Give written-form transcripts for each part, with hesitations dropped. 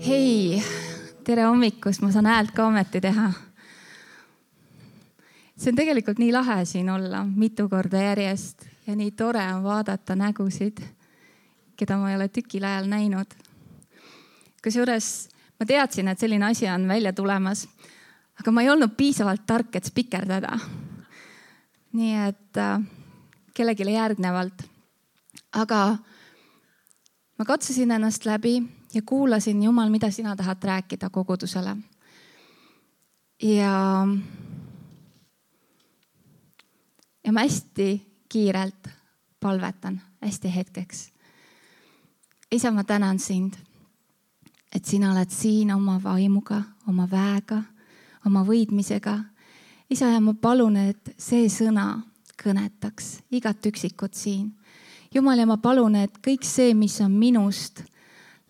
Hei, tere hommikust, ma saan häält ka ometi teha. See on tegelikult nii lahe siin olla mitu korda järjest ja nii tore on vaadata nägusid, keda ma ei ole tükil ajal näinud. Kusjuures ma teadsin, et selline asi on välja tulemas, aga ma ei olnud piisavalt tark, et spikerdada. Nii et kellelegi järgnevalt. Aga ma katsusin ennast läbi ja kuulasin, Jumal, mida sina tahad rääkida kogudusele. Ja ma hästi kiirelt palvetan, hästi hetkeks. Isa, ma tänan sind, et sina oled siin oma vaimuga, oma väega, oma võidmisega. Isa, ja ma palun, et see sõna kõnetaks igat üksikut siin. Jumal, ja ma palun, et kõik see, mis on minust,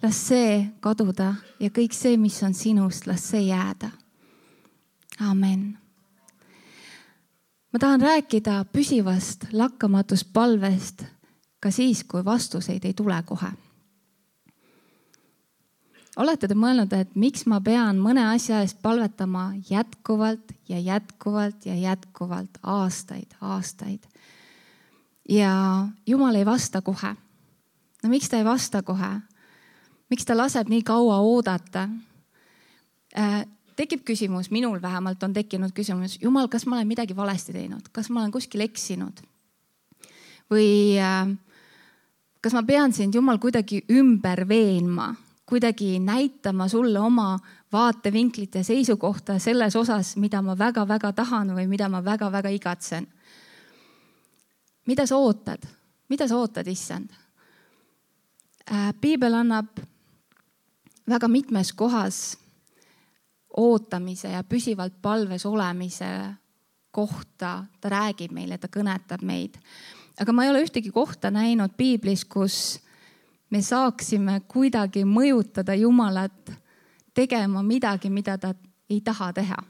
las see kaduda ja kõik see, mis on sinust, las see jääda. Amen. Ma tahan rääkida püsivast lakkamatust palvest ka siis, kui vastuseid ei tule kohe. Olete te mõelnud, et miks ma pean mõne asja eest palvetama jätkuvalt ja jätkuvalt ja jätkuvalt aastaid. Ja Jumal ei vasta kohe. No miks ta ei vasta kohe? Miks ta laseb nii kaua oodata? Tekib küsimus, minul vähemalt on tekkinud küsimus, Jumal, kas ma olen midagi valesti teinud? Kas ma olen kuskil eksinud? Või kas ma pean sind, Jumal, kuidagi ümber veenma? Kuidagi näitama sulle oma vaatevinklit ja seisukohta selles osas, mida ma väga-väga tahan või mida ma väga-väga igatsen? Mida sa ootad? Mida sa ootad, issand? Piibel annab väga mitmes kohas ootamise ja püsivalt palves olemise kohta. Ta räägib meile, ta kõnetab meid. Aga ma ei ole ühtegi kohta näinud Piiblis, kus me saaksime kuidagi mõjutada Jumalat tegema midagi, mida ta ei taha teha.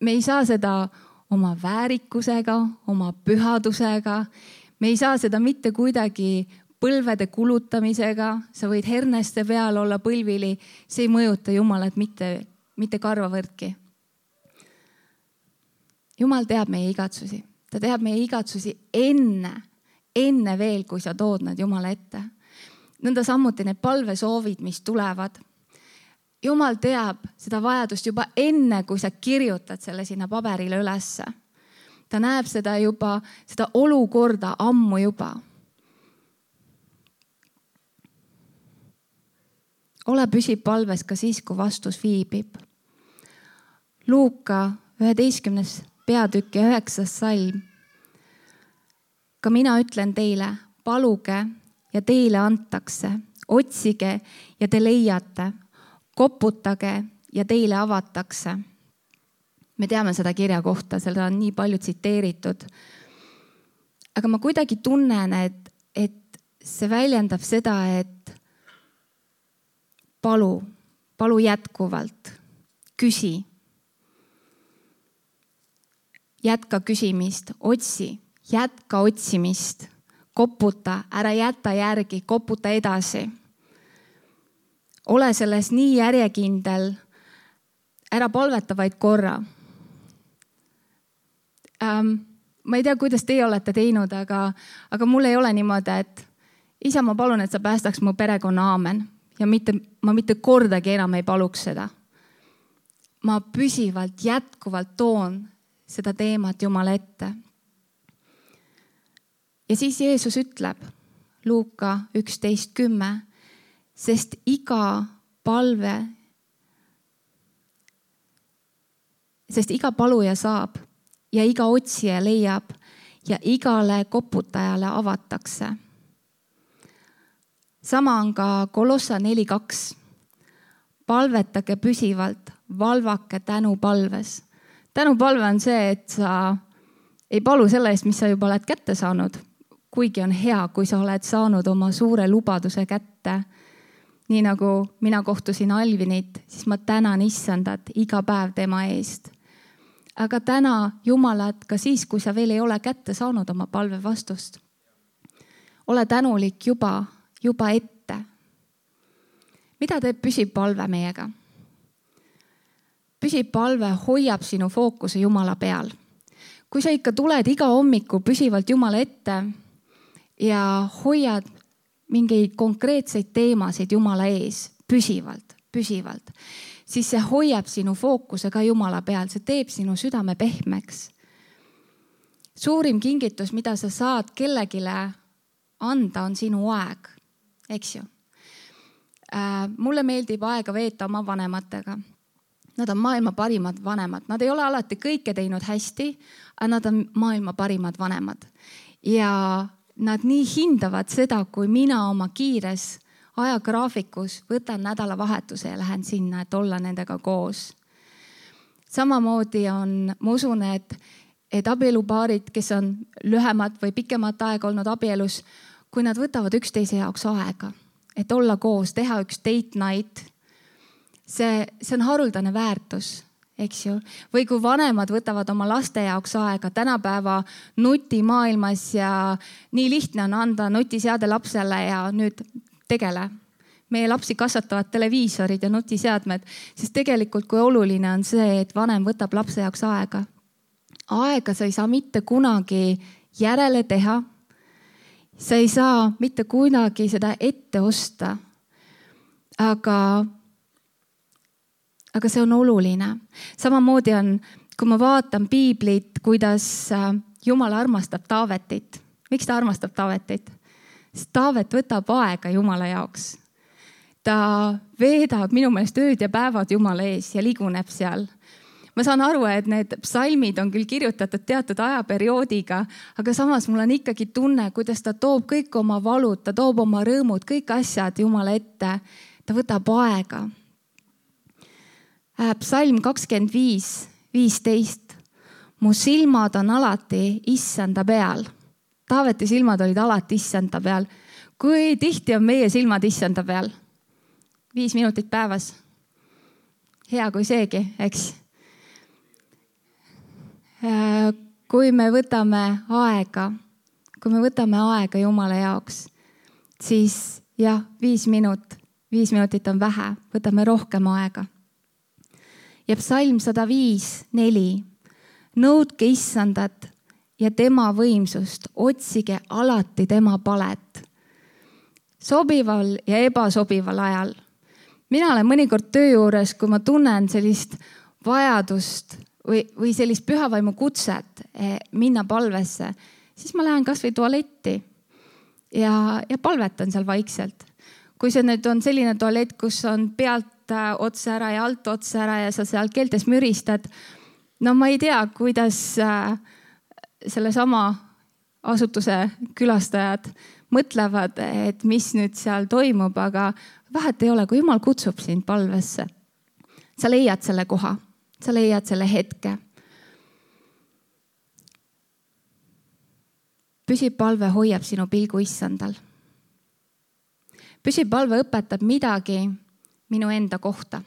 Me ei saa seda oma väärikusega, oma pühadusega. Me ei saa seda mitte kuidagi põlvede kulutamisega. Sa võid herneste peal olla põlvili. See ei mõjuta Jumalat mitte karvavõrdki. Jumal teab meie igatsusi. Ta teab meie igatsusi enne veel, kui sa tood nad Jumala ette. Nõnda samuti need palvesoovid, mis tulevad. Jumal teab seda vajadust juba enne, kui sa kirjutad selle sinna paberile ülesse. Ta näeb seda olukorda ammu juba. Ole püsib palves ka siis, kui vastus viibib. Luuka 11. peatükk ja 9. salm. Ka mina ütlen teile, paluge ja teile antakse, otsige ja te leiate, koputage ja teile avatakse. Me teame seda kirja kohta, seda on nii palju tsiteeritud. Aga ma kuidagi tunnen, et see väljendab seda, et palu jätkuvalt, küsi. Jätka küsimist, otsi, jätka otsimist, koputa, ära jäta järgi, koputa edasi. Ole selles nii järjekindel, ära palveta vaid korra. Ma ei tea, kuidas teie olete teinud, aga mul ei ole niimoodi, et isa, ma palun, et sa päästaks mu perekonna aamen. Ja ma mitte kordagi enam ei paluks seda. Ma püsivalt, jätkuvalt toon seda teemat Jumala ette. Ja siis Jeesus ütleb, Luuka 11:10, sest iga paluja saab ja iga otsija leiab ja igale koputajale avatakse. Sama on ka Kolossa 4:2. Palvetage püsivalt, valvake tänupalves. Tänupalve on see, et sa ei palu selle eest, mis sa juba oled kätte saanud. Kuigi on hea, kui sa oled saanud oma suure lubaduse kätte. Nii nagu mina kohtusin Alvinit, siis ma tänan issandat iga päev tema eest. Aga täna Jumalat ka siis, kui sa veel ei ole kätte saanud oma palve vastust. Ole tänulik juba ette. mida teeb püsipalve meiega? Püsipalve hoiab sinu fookuse Jumala peal. Kui sa ikka tuled iga hommiku püsivalt Jumala ette ja hoiad mingeid konkreetseid teemasid Jumala ees püsivalt, siis see hoiab sinu fookuse ka Jumala peal, see teeb sinu südame pehmeks. Suurim kingitus, mida sa saad kellegile anda, on sinu aeg, eks ju. Mulle meeldib aega veeta oma vanematega. Nad on maailma parimad vanemad. Nad ei ole alati kõike teinud hästi, aga nad on maailma parimad vanemad. Ja nad nii hindavad seda, kui mina oma kiires ajagraafikus võtan nädalavahetuse ja lähen sinna, et olla nendega koos. Samamoodi ma usun, et abielupaarid, kes on lühemat või pikemat aega olnud abielus, kui nad võtavad üksteise jaoks aega, et olla koos, teha üks date night, see on haruldane väärtus, eks ju. Või kui vanemad võtavad oma laste jaoks aega tänapäeva nutimaailmas ja nii lihtne on anda nutiseade lapsele ja nüüd tegele. Meie lapsi kasvatavad televiisorid ja nutiseadmed, sest tegelikult kui oluline on see, et vanem võtab lapse jaoks aega. Aega sa ei saa mitte kunagi järele teha. Sa ei saa mitte kunagi seda ette osta. Aga see on oluline. Samamoodi on, kui ma vaatan piiblit, kuidas Jumal armastab Taavetit. Miks ta armastab Taavetit? Sest Taavet võtab aega Jumala jaoks. Ta veedab minu meelest ööd ja päevad Jumala ees ja liguneb seal. Ma saan aru, et need psalmid on küll kirjutatud teatud ajaperioodiga, aga samas mul on ikkagi tunne, kuidas ta toob kõik oma valud, ta toob oma rõõmud, kõik asjad Jumala ette. Ta võtab aega. Psalm 25:15. Mu silmad on alati issanda peal. Taaveti silmad olid alati issanda peal. Kui tihti on meie silmad issanda peal? 5 minutit päevas. Hea kui seegi, eks? Kui me võtame aega Jumala jaoks, siis jah, 5 minutit on vähe, võtame rohkem aega. Ja psalm 105:4. Nõudke issandat ja tema võimsust, otsige alati tema palet. Sobival ja ebasobival ajal. Mina olen mõnikord töö juures, kui ma tunnen sellist vajadust või sellist pühavaimu kutset minna palvesse, siis ma lähen kas või tualetti ja palvetan seal vaikselt. Kui see nüüd on selline tualett, kus on pealt otsa ära ja alt otsa ära ja sa seal keeltes müristad, no ma ei tea, kuidas selle sama asutuse külastajad mõtlevad, et mis nüüd seal toimub, aga vahet ei ole, kui Jumal kutsub sind palvesse. Sa leiad selle koha, sa leiad selle hetke. Püsipalve hoiab sinu pilgu issandal. Püsipalve õpetab midagi minu enda kohta.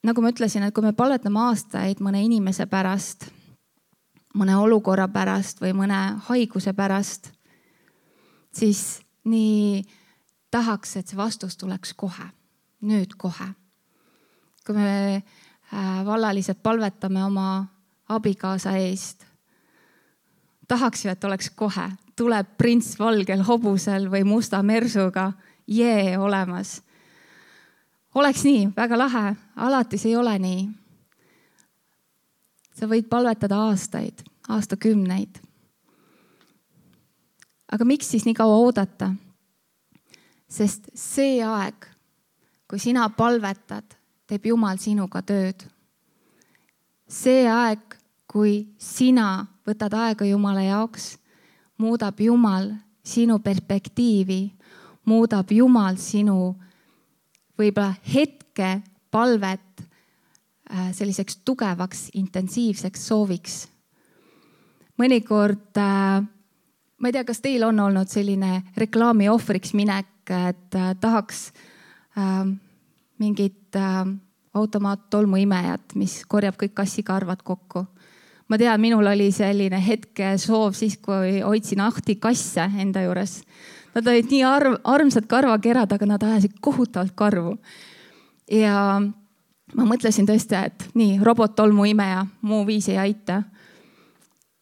Nagu ma ütlesin, et kui me palvetame aastaid mõne inimese pärast, mõne olukorra pärast või mõne haiguse pärast, siis nii tahaks, et see vastus tuleks kohe, nüüd kohe. Kui me vallaliselt palvetame oma abikaasa eest, tahaks ju, et oleks kohe. Tuleb prints valgel hobusel või musta mersuga olemas. Oleks nii, väga lahe, alati see ei ole nii. Sa võid palvetada aastaid, aastakümneid. Aga miks siis nii kaua oodata? Sest see aeg, kui sina palvetad, teeb Jumal sinuga tööd. See aeg, kui sina võtad aega Jumala jaoks, muudab Jumal sinu perspektiivi, muudab Jumal sinu võib-olla hetke palvet selliseks tugevaks, intensiivseks sooviks. Mõnikord, ma ei tea, kas teil on olnud selline reklaami ohvriks minek, et tahaks mingit automaattolmuimejat, mis korjab kõik kassikarvad kokku. ma tean, minul oli selline hetke soov siis, kui hoidsin ahtikasse enda juures. Nad olid nii armsad karvakerad, aga nad ajasid kohutavalt karvu. Ja ma mõtlesin tõesti, et nii, robottolmu imeja, muu viis ei aita.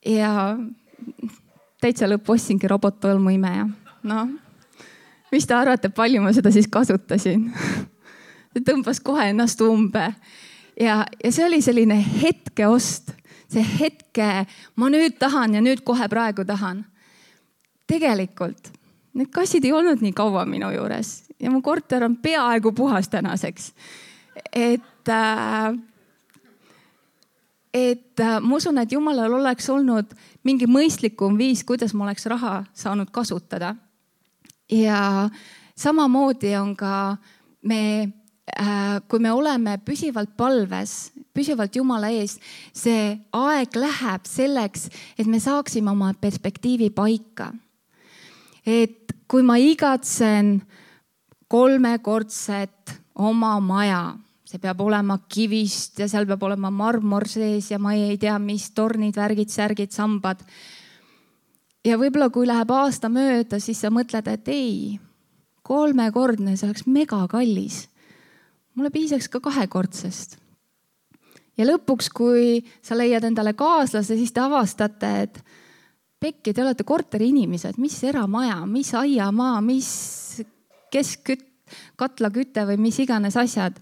Ja täitsa lõppu ostsingi robottolmu imeja. No, mis te arvate, palju ma seda siis kasutasin? See tõmbas kohe ennast umbe. Ja see oli selline hetkeost. See hetke, ma nüüd tahan ja nüüd kohe praegu tahan. Tegelikult, need kassid ei olnud nii kaua minu juures. Ja mu korter on peaaegu puhas tänaseks. Ma usun, et Jumalal oleks olnud mingi mõistlikum viis, kuidas ma oleks raha saanud kasutada. Ja samamoodi on ka kui me oleme püsivalt palves, püsivalt Jumala ees, see aeg läheb selleks, et me saaksime oma perspektiivi paika. Et kui ma igatsen 3-kordset oma maja, see peab olema kivist ja seal peab olema marmor sees ja ma ei tea, mis tornid, värgid, särgid, sambad. Ja võib-olla kui läheb aasta mööda, siis sa mõtled, et ei, 3-kordne, see oleks mega kallis. Mulle piisaks ka 2-kordsest. Ja lõpuks, kui sa leiad endale kaaslase, siis te avastate, et pekki, te olete korteri inimesed, mis eramaja, mis aiamaa, mis katlaküte või mis iganes asjad.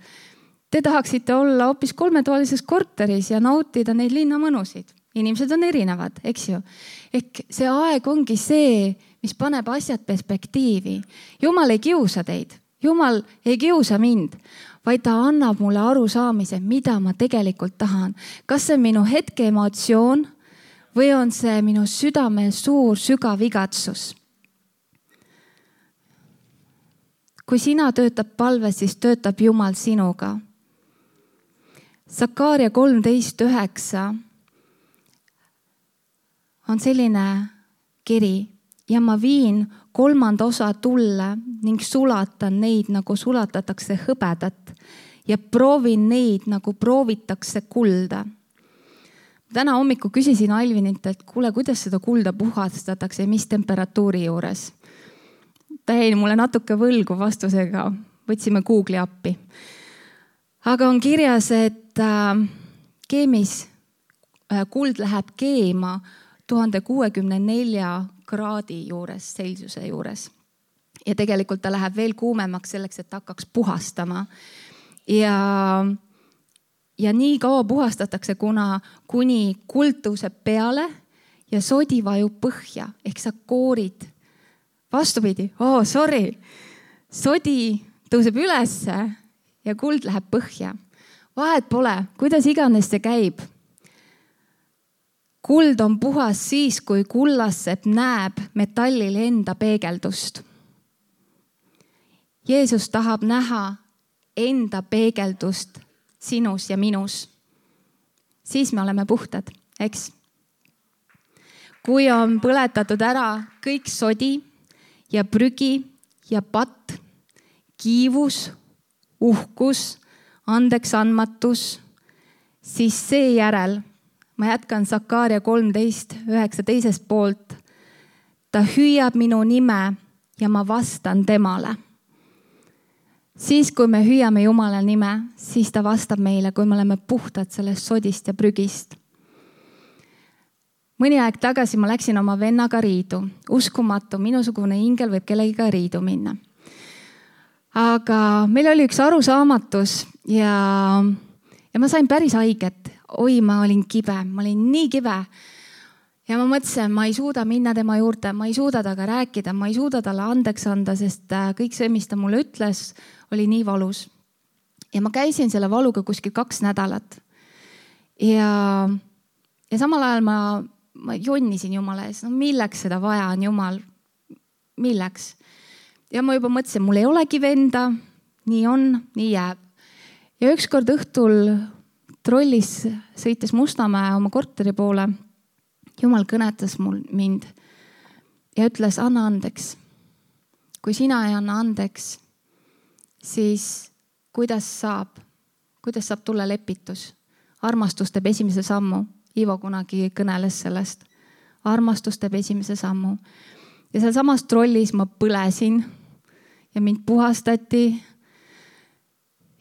Te tahaksite olla hoopis 3-toalises korteris ja nautida neid linnamõnusid. Inimesed on erinevad, eks ju. Ehk see aeg ongi see, mis paneb asjad perspektiivi. Jumal ei kiusa teid. Jumal ei kiusa mind, vaid ta annab mulle arusaamise, mida ma tegelikult tahan. Kas see on minu hetke emotsioon või on see minu südame suur sügav igatsus? Kui sina töötab palves, siis töötab Jumal sinuga. Sakaaria 13:9 on selline kiri. Ja ma viin 3. osa tulle ning sulatan neid, nagu sulatatakse hõbedat ja proovin neid, nagu proovitakse kulda. Täna hommiku küsisin Alvinilt, et kuule, kuidas seda kulda puhastatakse ja mis temperatuuri juures. Ta jäi mulle natuke võlgu vastusega, võtsime Google'i appi. Aga on kirjas, et keemis kuld läheb keema 1064 kraadi juures, Celsiuse juures. Ja tegelikult ta läheb veel kuumemaks selleks, et hakkaks puhastama. Ja nii kaua puhastatakse, kuni kuld tõuseb peale ja sodi vajub põhja. Ehk sa koorid vastupidi. Sodi tõuseb ülesse ja kuld läheb põhja. Vahet pole, kuidas iganes see käib. Kuld on puhas siis, kui kullassepp näeb metallil enda peegeldust. Jeesus tahab näha enda peegeldust sinus ja minus. Siis me oleme puhtad, eks? Kui on põletatud ära kõik sodi ja prügi ja patt, kiivus, uhkus, andeksandmatus, siis seejärel ma jätkan Sakaaria 13:9 teisest poolt. Ta hüüab minu nime ja ma vastan temale. Siis, kui me hüüame Jumala nime, siis ta vastab meile, kui me oleme puhtad sellest sodist ja prügist. Mõni aeg tagasi ma läksin oma vennaga riidu. Uskumatu, minusugune ingel võib kellegiga riidu minna. Aga meil oli üks arusaamatus ja ma sain päris haiget. Oi, ma olin kibe, ma olin nii kibe. Ja ma mõtlesin, ma ei suuda minna tema juurde, ma ei suuda taga rääkida, ma ei suuda talle andeks anda, sest kõik see, mis ta mulle ütles, oli nii valus. Ja ma käisin selle valuga kuskil 2 nädalat. Ja samal ajal ma jonnisin Jumala ees. No milleks seda vaja on, Jumal? Milleks? Ja ma juba mõtlesin, mul ei olegi venda, nii on, nii jääb. Ja ükskord õhtul trollis sõites Mustamäe oma korteri poole. Jumal kõnetas mind ja ütles, anna andeks. Kui sina ei anna andeks, siis kuidas saab tulla lepitus? Armastus teeb esimese sammu. Ivo kunagi kõneles sellest. Armastus teeb esimese sammu. Ja seal samas trollis ma põlesin ja mind puhastati.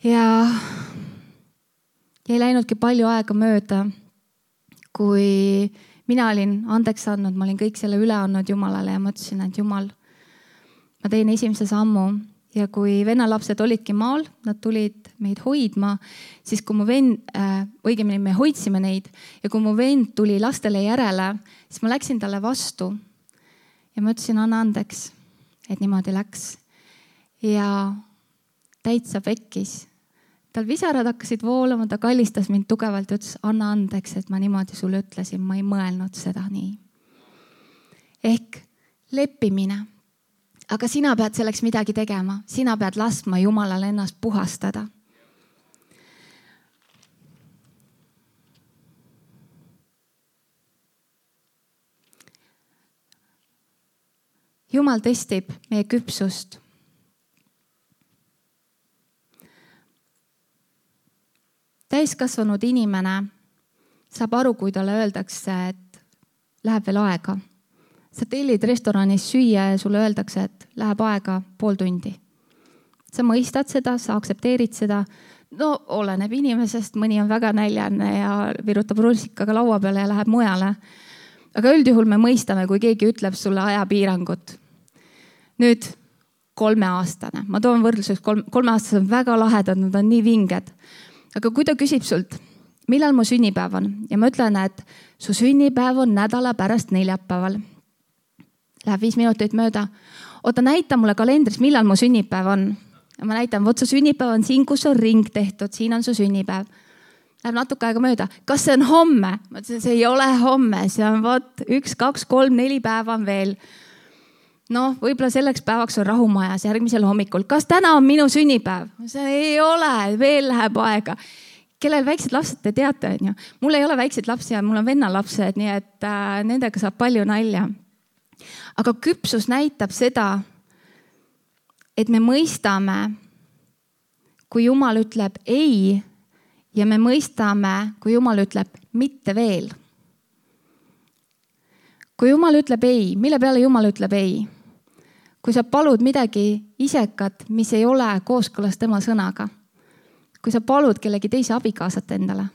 Ja ei läinudki palju aega mööda, kui mina olin andeks andnud, ma olin kõik selle üle andnud Jumalale ja mõtlesin, et Jumal, ma teen esimese sammu. Ja kui vennalapsed olidki maal, nad tulid meid hoidma, siis kui mu vend, õigemini me hoidsime neid ja kui mu vend tuli lastele järele, siis ma läksin talle vastu ja ma ütlesin, anna andeks, et niimoodi läks. Ja täitsa pekkis. Tal visarad hakkasid voolama, ta kallistas mind tugevalt ja ütles, anna andeks, et ma niimoodi sulle ütlesin, ma ei mõelnud seda nii. Ehk leppimine. Aga sina pead selleks midagi tegema. Sina pead laskma Jumalal ennast puhastada. Jumal testib meie küpsust. Täiskasvanud inimene saab aru, kui talle öeldakse, et läheb veel aega. Sa tellid restoranis süüa ja sulle öeldakse, et läheb aega pool tundi. Sa mõistad seda, sa aktsepteerid seda. No oleneb inimesest, mõni on väga näljane ja virutab rusikaga laua peale ja läheb mujale. Aga üldjuhul me mõistame, kui keegi ütleb sulle ajapiirangut. Nüüd 3-aastane. Ma toon võrdluseks 3-aastased on väga lahedad, nad on nii vinged. Aga kui ta küsib sult, millal mu sünnipäev on? Ja ma ütlen, et su sünnipäev on nädala pärast neljapäeval. Läheb 5 minutit mööda. Oota, näita mulle kalendris, millal mu sünnipäev on. Ja ma näitan, võt su sünnipäev on siin, kus on ring tehtud. Siin on su sünnipäev. Läheb natuke aega mööda. Kas see on homme? Ma ütlesin, see ei ole homme. See on 1, 2, 3, 4 päeva on veel. No, võib-olla selleks päevaks on rahumajas järgmisel hommikul. Kas täna on minu sünnipäev? See ei ole, veel läheb aega. Kellel väiksed lapsed te teate? Mul ei ole väiksed lapsi ja mul on vennalapsed, nii et nendega saab palju nalja. Aga küpsus näitab seda, et me mõistame, kui Jumal ütleb ei ja me mõistame, kui Jumal ütleb mitte veel. Kui Jumal ütleb ei, mille peale Jumal ütleb ei? Kui sa palud midagi isekat, mis ei ole kooskõlas tema sõnaga. Kui sa palud kellegi teise abikaasat endale.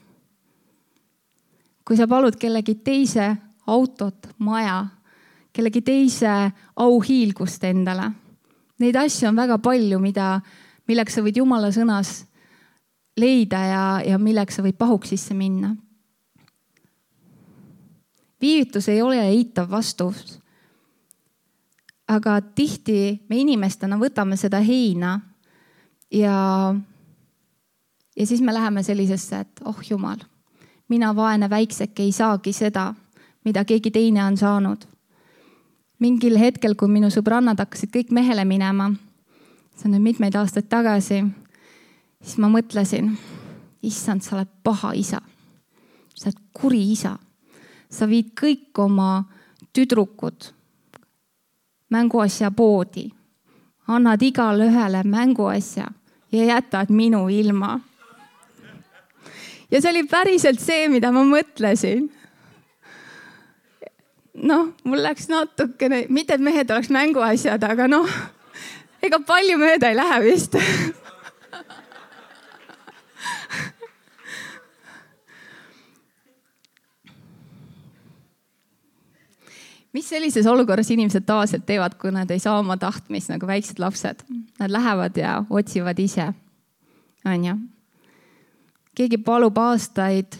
Kui sa palud kellegi teise autot, maja, kellegi teise auhiilgust endale. Neid asju on väga palju, milleks sa võid Jumala sõnas leida ja milleks sa võid pahuks sisse minna. Viivitus ei ole eitav vastus. Aga tihti me inimestena võtame seda heina ja siis me läheme sellisesse, et Jumal, mina vaene väikseke ei saagi seda, mida keegi teine on saanud. Mingil hetkel, kui minu sõbrannad hakkasid kõik mehele minema, see on nüüd mitmeid aastaid tagasi, siis ma mõtlesin, issand, sa oled paha isa. Sa oled kuri isa. Sa viid kõik oma tüdrukud mänguasja poodi. Annad igale ühele mänguasja ja jätad minu ilma. Ja see oli päriselt see, mida ma mõtlesin. Mul läks natukene, mitte et mehed oleks mänguasjad, aga ega palju mööda ei lähe vist. Mis sellises olukorras inimesed tavaliselt teevad, kui nad ei saa oma tahtmist nagu väiksed lapsed? Nad lähevad ja otsivad ise. On ju? Keegi palub aastaid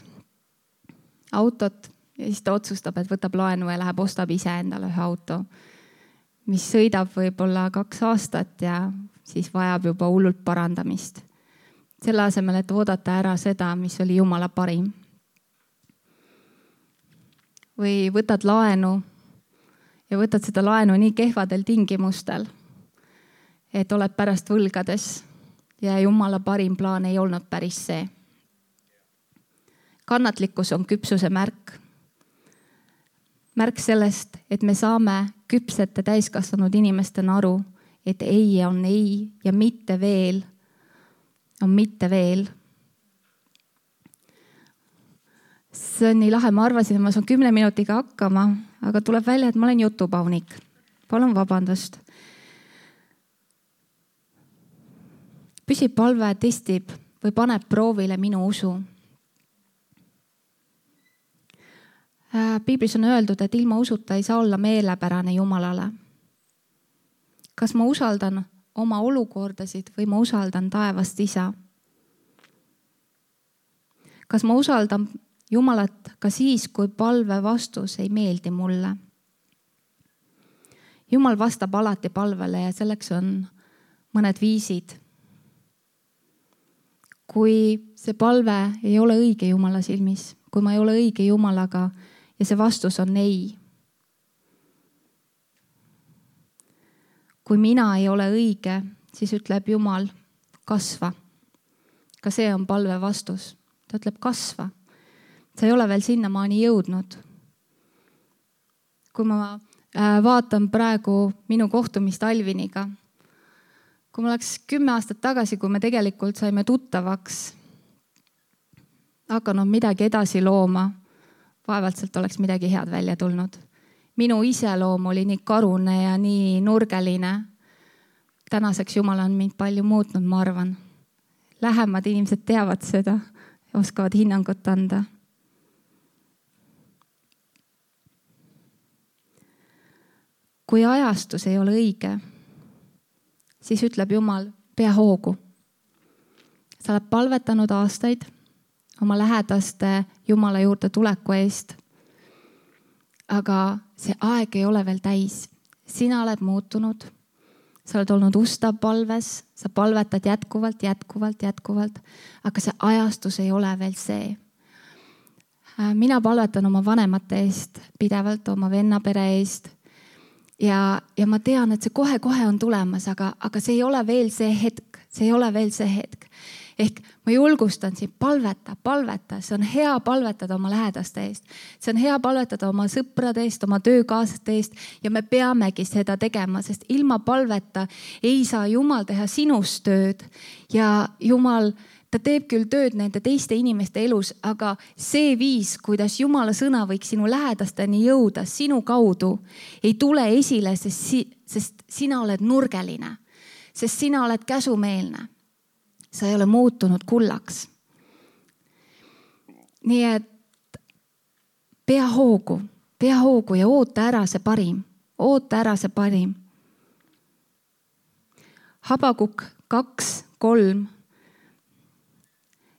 autot ja siis ta otsustab, et võtab laenu ja läheb ostab ise endale ühe auto, mis sõidab võib-olla 2 aastat ja siis vajab juba hullult parandamist. Selle asemel, et oodata ära seda, mis oli Jumala parim. Või võtad laenu ja võtad seda laenu nii kehvadel tingimustel, et oled pärast võlgades ja Jumala parim plaan ei olnud päris see. Kannatlikkus on küpsuse märk. Märk sellest, et me saame küpsete täiskasvanud inimestena aru, et ei on ei ja mitte veel on mitte veel. See on nii lahe, ma arvasin, et ma saan 10 minutiga hakkama, aga tuleb välja, et ma olen jutupaunik. Palun vabandust. Püsiv palve testib või paneb proovile minu usu. Piiblis on öeldud, et ilma usuta ei saa olla meelepärane Jumalale. Kas ma usaldan oma olukordasid või ma usaldan taevast Isa? Kas ma usaldan Jumalat ka siis, kui palve vastus ei meeldi mulle? Jumal vastab alati palvele ja selleks on mõned viisid. Kui see palve ei ole õige Jumala silmis, kui ma ei ole õige Jumalaga ja see vastus on ei. Kui mina ei ole õige, siis ütleb Jumal, kasva. Ka see on palve vastus. Ta ütleb, kasva. Sa ei ole veel sinnamaani jõudnud. Kui ma vaatan praegu minu kohtumist Alviniga, kui ma oleks 10 aastat tagasi, kui me tegelikult saime tuttavaks, hakanud midagi edasi looma, vaevalt sealt oleks midagi head välja tulnud. Minu iseloom oli nii karune ja nii nurgeline. Tänaseks Jumal on mind palju muutnud, ma arvan. Lähemad inimesed teavad seda, oskavad hinnangut anda. Kui ajastus ei ole õige, siis ütleb Jumal, pea hoogu. Sa oled palvetanud aastaid oma lähedaste Jumala juurde tuleku eest. Aga see aeg ei ole veel täis. Sina oled muutunud. Sa oled olnud ustav palves. Sa palvetad jätkuvalt. Aga see ajastus ei ole veel see. Mina palvetan oma vanemate eest pidevalt, oma vennapere eest. Ja ma tean, et see kohe on tulemas, aga see ei ole veel see hetk. See ei ole veel see hetk. Ehk ma julgustan sind, palveta. See on hea palvetada oma lähedaste eest. See on hea palvetada oma sõprade eest, oma töökaaslaste eest ja me peamegi seda tegema, sest ilma palveta ei saa Jumal teha sinust tööd. Ja Jumal, ta teeb küll tööd nende teiste inimeste elus, aga see viis, kuidas Jumala sõna võiks sinu lähedasteni jõuda sinu kaudu, ei tule esile, sest sina oled nurgeline, sest sina oled käsumeelne. Sa ei ole muutunud kullaks. Nii et pea hoogu ja oota ära see parim. Habakuk 2:3.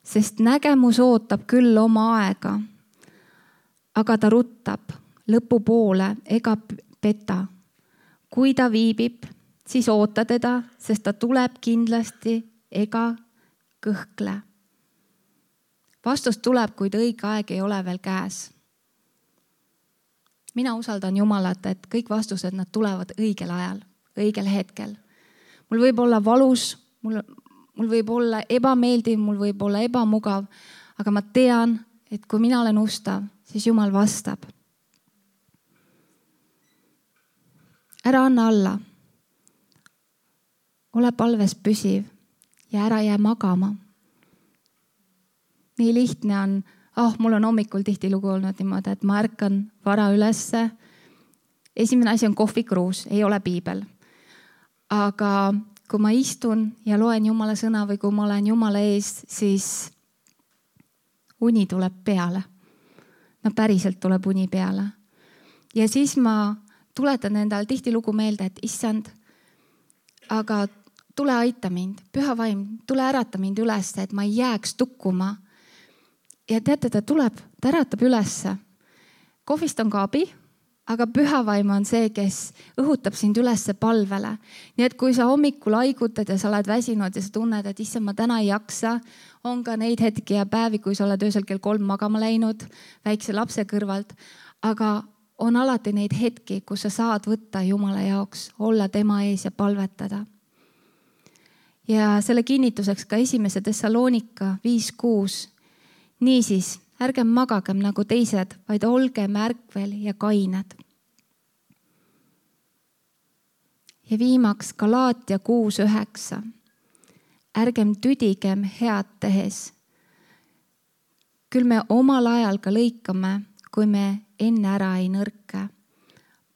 Sest nägemus ootab küll oma aega, aga ta ruttab lõpupoole ega peta. Kui ta viibib, siis oota teda, sest ta tuleb kindlasti ega kõhkle. Vastus tuleb, kuid õige aeg ei ole veel käes. Mina usaldan Jumalat, et kõik vastused nad tulevad õigel ajal, õigel hetkel. Mul võib olla valus, mul võib olla ebameeldiv, mul võib olla ebamugav, aga ma tean, et kui mina olen ustav, siis Jumal vastab. Ära anna alla. Ole palves püsiv. Ja ära jää magama. Nii lihtne on, mul on hommikul tihtilugu olnud niimoodi, et ma ärkan vara ülesse. Esimene asi on kohvikruus, ei ole piibel. Aga kui ma istun ja loen Jumala sõna või kui ma olen Jumala ees, siis uni tuleb peale. No päriselt tuleb uni peale. Ja siis ma tuletan endale tihtilugu meelde, et issand, aga tule aita mind, püha vaim, tule ärata mind üles, et ma ei jääks tukkuma. Ja teate, ta äratab ülesse. Kohvist on ka abi, aga püha vaim on see, kes õhutab sind ülesse palvele. Nii et kui sa hommikul haigutad ja sa oled väsinud ja sa tunned, et issand, ma täna ei jaksa, on ka neid hetki ja päevi, kui sa oled öösel kell 3 magama läinud väikse lapse kõrvalt, aga on alati neid hetki, kus sa saad võtta Jumala jaoks, olla tema ees ja palvetada. Ja selle kinnituseks ka 1. Thessalonika 5:6. Niisiis, ärgem magagem nagu teised, vaid olgem ärkvel ja kained. Ja viimaks Galaatia 6:9. Ärgem tüdigem head tehes. küll me omal ajal ka lõikame, kui me enne ära ei nõrke.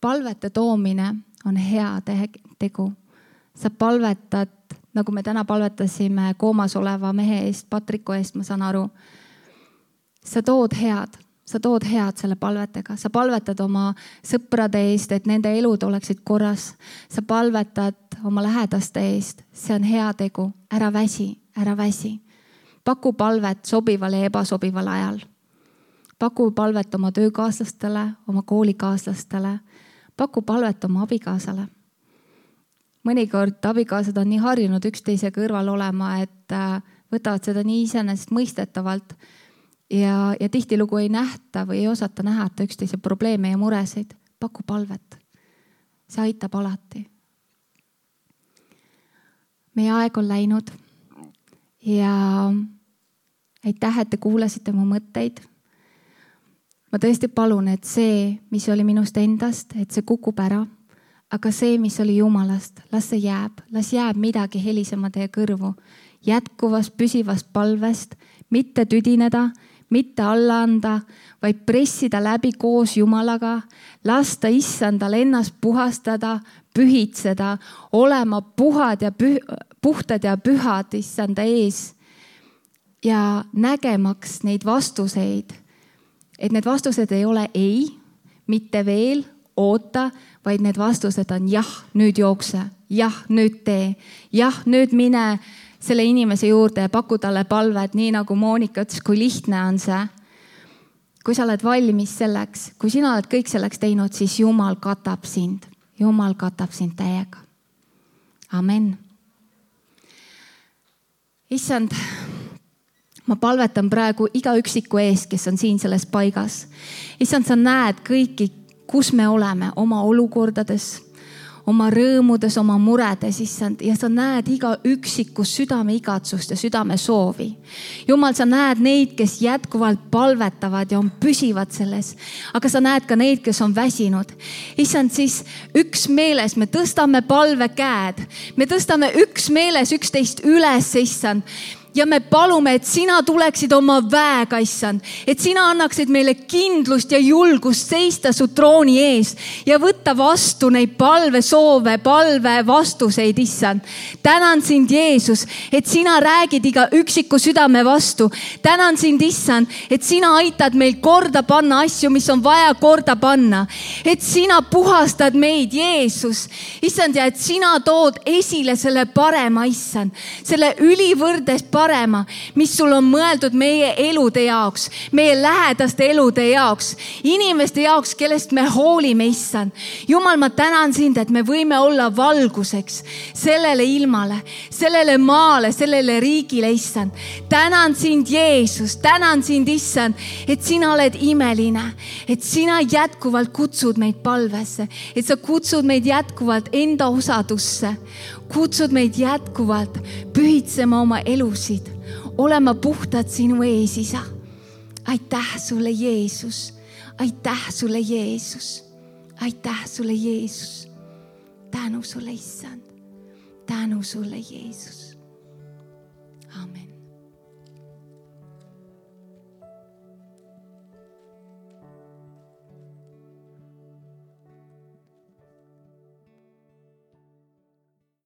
Palvete toomine on hea tegu. Sa palvetad, nagu me täna palvetasime koomas oleva mehe eest, Patriku eest, ma saan aru. Sa tood head selle palvetega. Sa palvetad oma sõprade eest, et nende elud oleksid korras. Sa palvetad oma lähedaste eest. See on hea tegu. Ära väsi. Paku palvet sobival ja ebasobival ajal. Paku palvet oma töökaaslastele, oma koolikaaslastele. Paku palvet oma abikaasale. Mõnikord abikaasad on nii harjunud üksteise kõrval olema, et võtavad seda nii iseenesest mõistetavalt ja tihtilugu ei nähta või ei osata nähata üksteise probleeme ja muresid. Paku palvet. See aitab alati. Meie aeg on läinud ja aitäh, et te kuulasite mu mõtteid. Ma tõesti palun, et see, mis oli minust endast, et see kukub ära. Aga see, mis oli Jumalast, las jääb midagi helisema teie kõrvu. Jätkuvast, püsivast palvest, mitte tüdineda, mitte alla anda, vaid pressida läbi koos Jumalaga, lasta issandal ennast puhastada, pühitseda, olema puhtad ja pühad issanda ees ja nägemaks neid vastuseid, et need vastused ei ole ei, mitte veel, oota, vaid need vastused on jah, nüüd jookse, jah, nüüd tee, jah, nüüd mine selle inimese juurde ja paku talle palvet, nii nagu Moonika ütles, kui lihtne on see. Kui sa oled valmis selleks, kui sina oled kõik selleks teinud, siis Jumal katab sind. Jumal katab sind täiega. Amen. Issand, ma palvetan praegu iga üksiku ees, kes on siin selles paigas. Issand, sa näed kõiki, kus me oleme oma olukordades, oma rõõmudes, oma muredes, issand, ja sa näed iga üksikus südame igatsust ja südame soovi. Jumal, sa näed neid, kes jätkuvalt palvetavad ja on püsivad selles, aga sa näed ka neid, kes on väsinud. Issand, siis üksmeeles me tõstame palvekäed, me tõstame üksmeeles üksteist üles, issand. Ja me palume, et sina tuleksid oma väega, issand, et sina annaksid meile kindlust ja julgust seista su trooni ees ja võtta vastu neid palvesoove, palve vastuseid, issand. Tänan sind, Jeesus, et sina räägid iga üksiku südame vastu. Tänan sind, issand, et sina aitad meil korda panna asju, mis on vaja korda panna. Et sina puhastad meid, Jeesus, issand, ja et sina tood esile selle parema, issand, selle ülivõrdes parema, mis sul on mõeldud meie elude jaoks, meie lähedaste elude jaoks, inimeste jaoks, kellest me hoolime, issand. Jumal, ma tänan sind, et me võime olla valguseks sellele ilmale, sellele maale, sellele riigile, issand. Tänan sind, Jeesus, tänan sind, issand, et sina oled imeline, et sina jätkuvalt kutsud meid palvesse, et sa kutsud meid jätkuvalt enda osadusse, kutsud meid jätkuvalt pühitsema oma elusid, olema puhtad sinu ees, isa. Aitäh sulle, Jeesus. Aitäh sulle, Jeesus. Aitäh sulle, Jeesus. Tänu sulle, issand. Tänu sulle, Jeesus.